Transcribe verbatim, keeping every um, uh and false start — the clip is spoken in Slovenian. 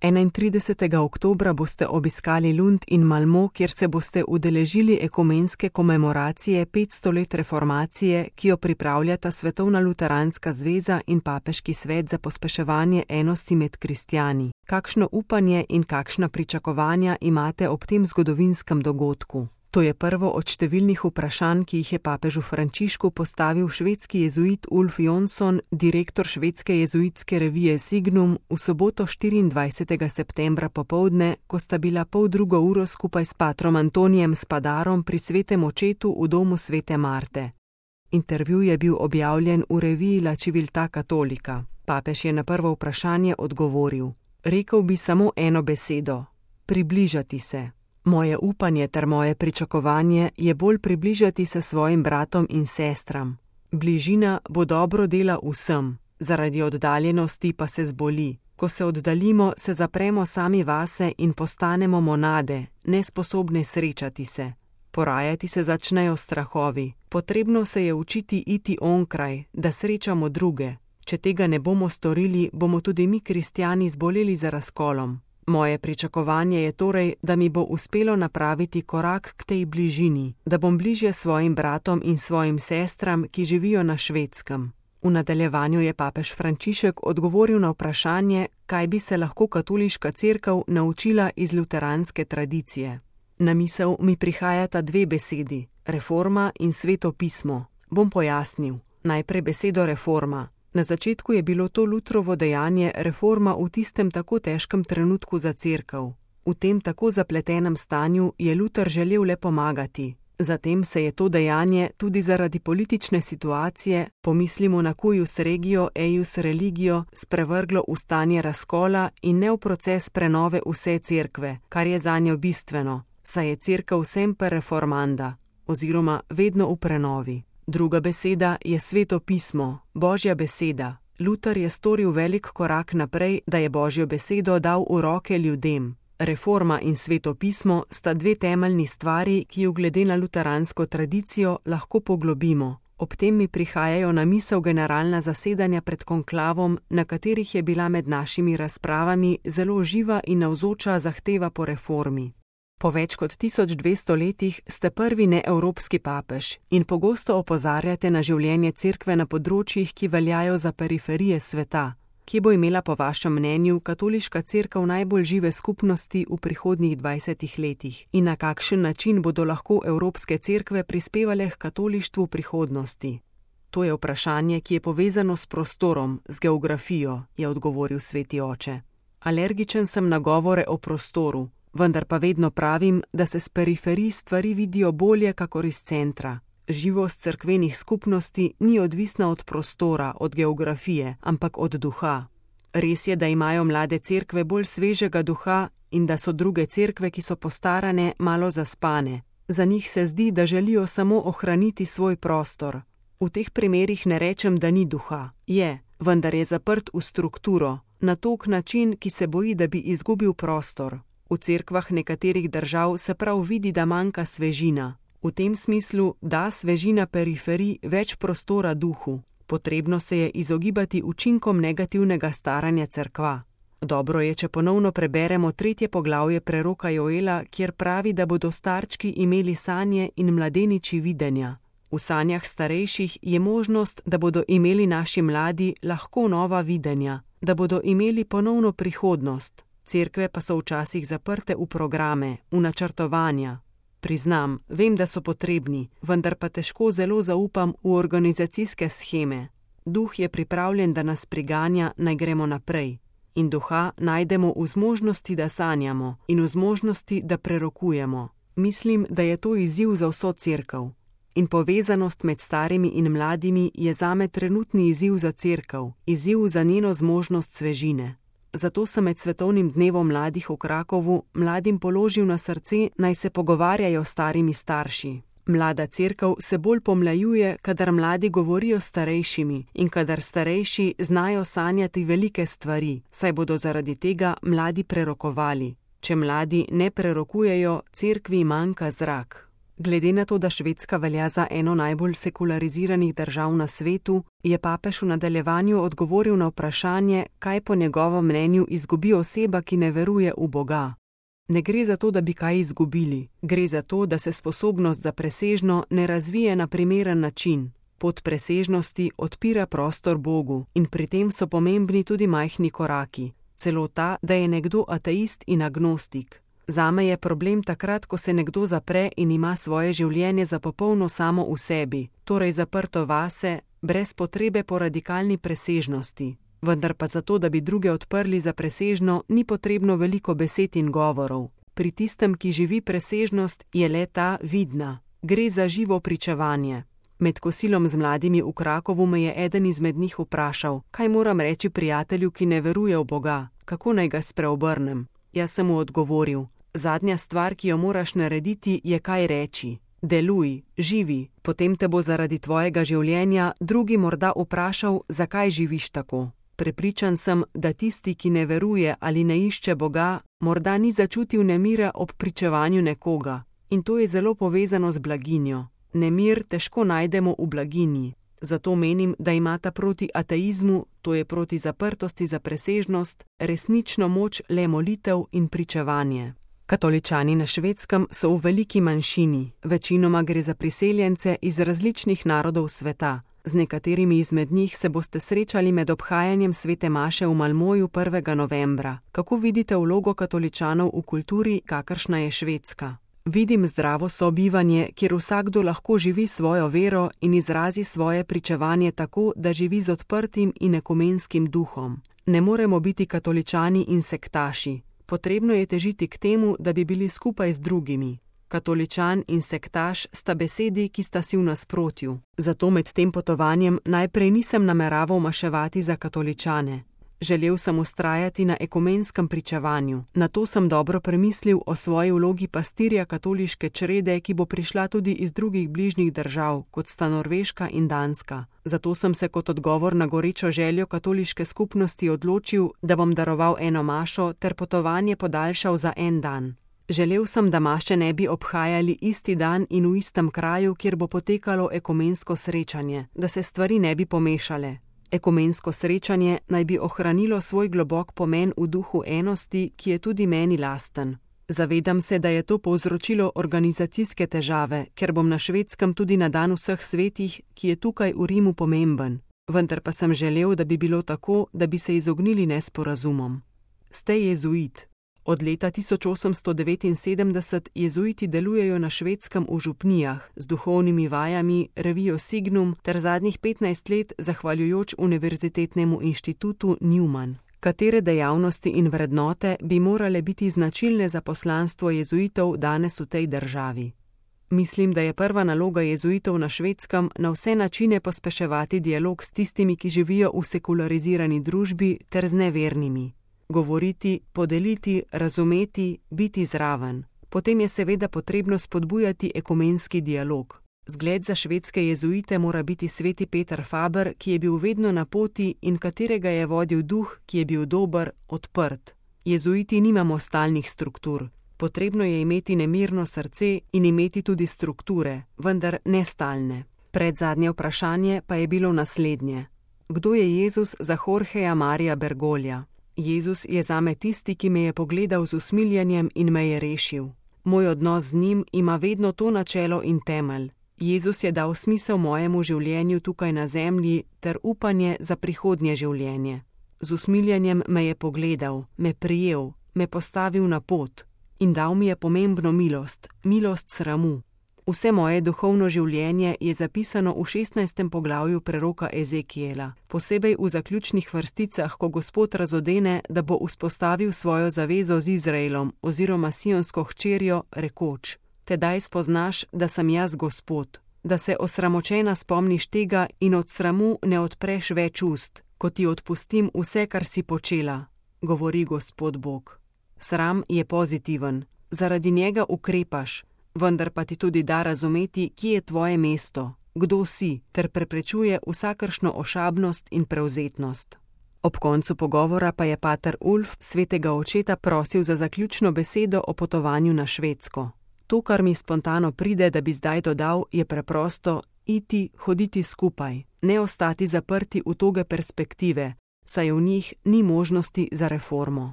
enaintridesetega oktobra boste obiskali Lund in Malmo, kjer se boste udeležili ekumenske komemoracije petsto let reformacije, ki jo pripravljata Svetovna luteranska zveza in Papeški svet za pospeševanje enosti med kristjani. Kakšno upanje in kakšna pričakovanja imate ob tem zgodovinskem dogodku? To je prvo od številnih vprašanj, ki jih je papežu Frančišku postavil švedski jezuit Ulf Jonsson, direktor švedske jezuitske revije Signum, v soboto štiriindvajsetega septembra popoldne, ko sta bila pol drugo uro skupaj s patrom Antonijem Spadarom pri svetem očetu v domu svete Marte. Intervju je bil objavljen v reviji La Civiltà Cattolica. Papež je na prvo vprašanje odgovoril: Rekel bi samo eno besedo: približati se. Moje upanje ter moje pričakovanje je bolj približati se svojim bratom in sestram. Bližina bo dobro dela vsem, zaradi oddaljenosti pa se zboli. Ko se oddaljimo, se zapremo sami vase in postanemo monade, nesposobne srečati se. Porajati se začnejo strahovi. Potrebno se je učiti iti onkraj, da srečamo druge. Če tega ne bomo storili, bomo tudi mi kristjani zboleli za razkolom. Moje pričakovanje je torej, da mi bo uspelo napraviti korak k tej bližini, da bom bližje svojim bratom in svojim sestram, ki živijo na Švedskem. V nadaljevanju je papež Frančišek odgovoril na vprašanje, kaj bi se lahko katoliška cerkev naučila iz luteranske tradicije. Na misel mi prihajata dve besedi: reforma in sveto pismo. Bom pojasnil. Najprej besedo reforma. Na začetku je bilo to Lutrovo dejanje reforma v tistem tako težkem trenutku za cerkev. V tem tako zapletenem stanju je Luter želel le pomagati. Zatem se je to dejanje tudi zaradi politične situacije, pomislimo na cuius regio, eius religio, sprevrglo v stanje razkola in ne v proces prenove vse cerkve, kar je zanjo bistveno, saj je cerkev semper reformanda, oziroma vedno v prenovi. Druga beseda je sveto pismo, Božja beseda. Luter je storil velik korak naprej, da je Božjo besedo dal v roke ljudem. Reforma in sveto pismo sta dve temeljni stvari, ki ju glede na luteransko tradicijo lahko poglobimo. Ob tem mi prihajajo na misel generalna zasedanja pred konklavom, na katerih je bila med našimi razpravami zelo živa in navzoča zahteva po reformi. Po več kot tisoč dvesto letih ste prvi neevropski papež in pogosto opozarjate na življenje cerkve na področjih, ki veljajo za periferije sveta. Kje bo imela po vašem mnenju katoliška cerkev najbolj žive skupnosti v prihodnjih dvajsetih letih in na kakšen način bodo lahko evropske cerkve prispevale k katolištvu prihodnosti? To je vprašanje, ki je povezano s prostorom, z geografijo, je odgovoril sveti oče. Alergičen sem na govore o prostoru, vendar pa vedno pravim, da se s periferij stvari vidijo bolje kakor iz centra. Živost cerkvenih skupnosti ni odvisna od prostora, od geografije, ampak od duha. Res je, da imajo mlade cerkve bolj svežega duha in da so druge cerkve, ki so postarane, malo zaspane. Za njih se zdi, da želijo samo ohraniti svoj prostor. V teh primerih ne rečem, da ni duha. Je, vendar je zaprt v strukturo, na tok način, ki se boji, da bi izgubil prostor. V cerkvah nekaterih držav se prav vidi, da manjka svežina. V tem smislu da svežina periferij več prostora duhu. Potrebno se je izogibati učinkom negativnega staranja cerkva. Dobro je, če ponovno preberemo tretje poglavje preroka Joela, kjer pravi, da bodo starčki imeli sanje in mladeniči videnja. V sanjah starejših je možnost, da bodo imeli naši mladi lahko nova videnja, da bodo imeli ponovno prihodnost. Cerkve pa so včasih zaprte v programe, v načrtovanja. Priznam, vem, da so potrebni, vendar pa težko zelo zaupam v organizacijske sheme. Duh je pripravljen, da nas priganja, naj gremo naprej. In duha najdemo v zmožnosti, da sanjamo, in v zmožnosti, da prerokujemo. Mislim, da je to izziv za vso cerkev. In povezanost med starimi in mladimi je zame trenutni izziv za cerkev, izziv za njeno zmožnost svežine. Zato sem med svetovnim dnevom mladih v Krakovu mladim položil na srce, naj se pogovarjajo s starimi starši. Mlada cerkev se bolj pomlajuje, kadar mladi govorijo s starejšimi in kadar starejši znajo sanjati velike stvari, saj bodo zaradi tega mladi prerokovali. Če mladi ne prerokujejo, cerkvi manjka zrak. Glede na to, da Švedska velja za eno najbolj sekulariziranih držav na svetu, je papež v nadaljevanju odgovoril na vprašanje, kaj po njegovem mnenju izgubi oseba, ki ne veruje v Boga. Ne gre za to, da bi kaj izgubili, gre za to, da se sposobnost za presežno ne razvije na primeren način. Pot presežnosti odpira prostor Bogu in pri tem so pomembni tudi majhni koraki, celo ta, da je nekdo ateist in agnostik. Zame je problem takrat, ko se nekdo zapre in ima svoje življenje za popolno samo v sebi, torej zaprto vase, brez potrebe po radikalni presežnosti. Vendar pa zato, da bi druge odprli za presežno, ni potrebno veliko besed in govorov. Pri tistem, ki živi presežnost, je le ta vidna. Gre za živo pričevanje. Med kosilom z mladimi v Krakovu me je eden izmed njih vprašal, kaj moram reči prijatelju, ki ne veruje v Boga, kako naj ga spreobrnem. Jaz sem mu odgovoril, zadnja stvar, ki jo moraš narediti, je kaj reči. Deluj, živi, potem te bo zaradi tvojega življenja drugi morda vprašal, zakaj živiš tako. Prepričan sem, da tisti, ki ne veruje ali ne išče Boga, morda ni začutil nemira ob pričevanju nekoga. In to je zelo povezano z blaginjo. Nemir težko najdemo v blaginji. Zato menim, da imata proti ateizmu, to je proti zaprtosti za presežnost, resnično moč le molitev in pričevanje. Katoličani na Švedskem so v veliki manjšini, večinoma gre za priseljence iz različnih narodov sveta. Z nekaterimi izmed njih se boste srečali med obhajanjem svete maše v Malmoju prvega novembra. Kako vidite vlogo katoličanov v kulturi, kakršna je Švedska? Vidim zdravo sobivanje, kjer vsakdo lahko živi svojo vero in izrazi svoje pričevanje tako, da živi z odprtim in ekumenskim duhom. Ne moremo biti katoličani in sektaši. Potrebno je težiti k temu, da bi bili skupaj z drugimi. Katoličan in sektaš sta besedi, ki sta si v nasprotju. Zato med tem potovanjem najprej nisem nameraval maševati za katoličane. Želel sem vztrajati na ekumenskem pričevanju. Nato sem dobro premislil o svoji vlogi pastirja katoliške črede, ki bo prišla tudi iz drugih bližnjih držav, kot sta Norveška in Danska. Zato sem se kot odgovor na gorečo željo katoliške skupnosti odločil, da bom daroval eno mašo ter potovanje podaljšal za en dan. Želel sem, da maše ne bi obhajali isti dan in v istem kraju, kjer bo potekalo ekumensko srečanje, da se stvari ne bi pomešale. Ekumensko srečanje naj bi ohranilo svoj globok pomen v duhu enosti, ki je tudi meni lasten. Zavedam se, da je to povzročilo organizacijske težave, ker bom na Švedskem tudi na dan vseh svetih, ki je tukaj v Rimu pomemben. Vendar pa sem želel, da bi bilo tako, da bi se izognili nesporazumom. Ste jezuit. Od leta tisoč osemsto devetinsedemdeset jezuiti delujejo na Švedskem v župnijah z duhovnimi vajami, revijo Signum ter zadnjih petnajst let zahvaljujoč Univerzitetnemu inštitutu Newman. Katere dejavnosti in vrednote bi morale biti značilne za poslanstvo jezuitov danes v tej državi? Mislim, da je prva naloga jezuitov na Švedskem na vse načine pospeševati dialog s tistimi, ki živijo v sekularizirani družbi ter z nevernimi. Govoriti, podeliti, razumeti, biti zraven. Potem je seveda potrebno spodbujati ekumenski dialog. Zgled za švedske jezuite mora biti sveti Peter Faber, ki je bil vedno na poti in katerega je vodil duh, ki je bil dober, odprt. Jezuiti nimamo stalnih struktur. Potrebno je imeti nemirno srce in imeti tudi strukture, vendar ne stalne. Predzadnje vprašanje pa je bilo naslednje. Kdo je Jezus za Jorgeja Marija Bergolja? Jezus je zame tisti, ki me je pogledal z usmiljenjem in me je rešil. Moj odnos z njim ima vedno to načelo in temelj. Jezus je dal smisel mojemu življenju tukaj na zemlji ter upanje za prihodnje življenje. Z usmiljenjem me je pogledal, me prijel, me postavil na pot in dal mi je pomembno milost, milost sramu. Vse moje duhovno življenje je zapisano v šestnajstem poglavju preroka Ezekijela, posebej v zaključnih vrsticah, ko Gospod razodene, da bo vzpostavil svojo zavezo z Izraelom oziroma sionsko hčerjo, rekoč: Tedaj spoznaš, da sem jaz Gospod, da se osramočena spomniš tega in od sramu ne odpreš več ust, ko ti odpustim vse, kar si počela, govori Gospod Bog. Sram je pozitiven, zaradi njega ukrepaš, vendar pa ti tudi da razumeti, kje je tvoje mesto, kdo si, ter preprečuje vsakršno ošabnost in prevzetnost. Ob koncu pogovora pa je pater Ulf svetega očeta prosil za zaključno besedo o potovanju na Švedsko. To, kar mi spontano pride, da bi zdaj dodal, je preprosto iti, hoditi skupaj, ne ostati zaprti v toge perspektive, saj v njih ni možnosti za reformo.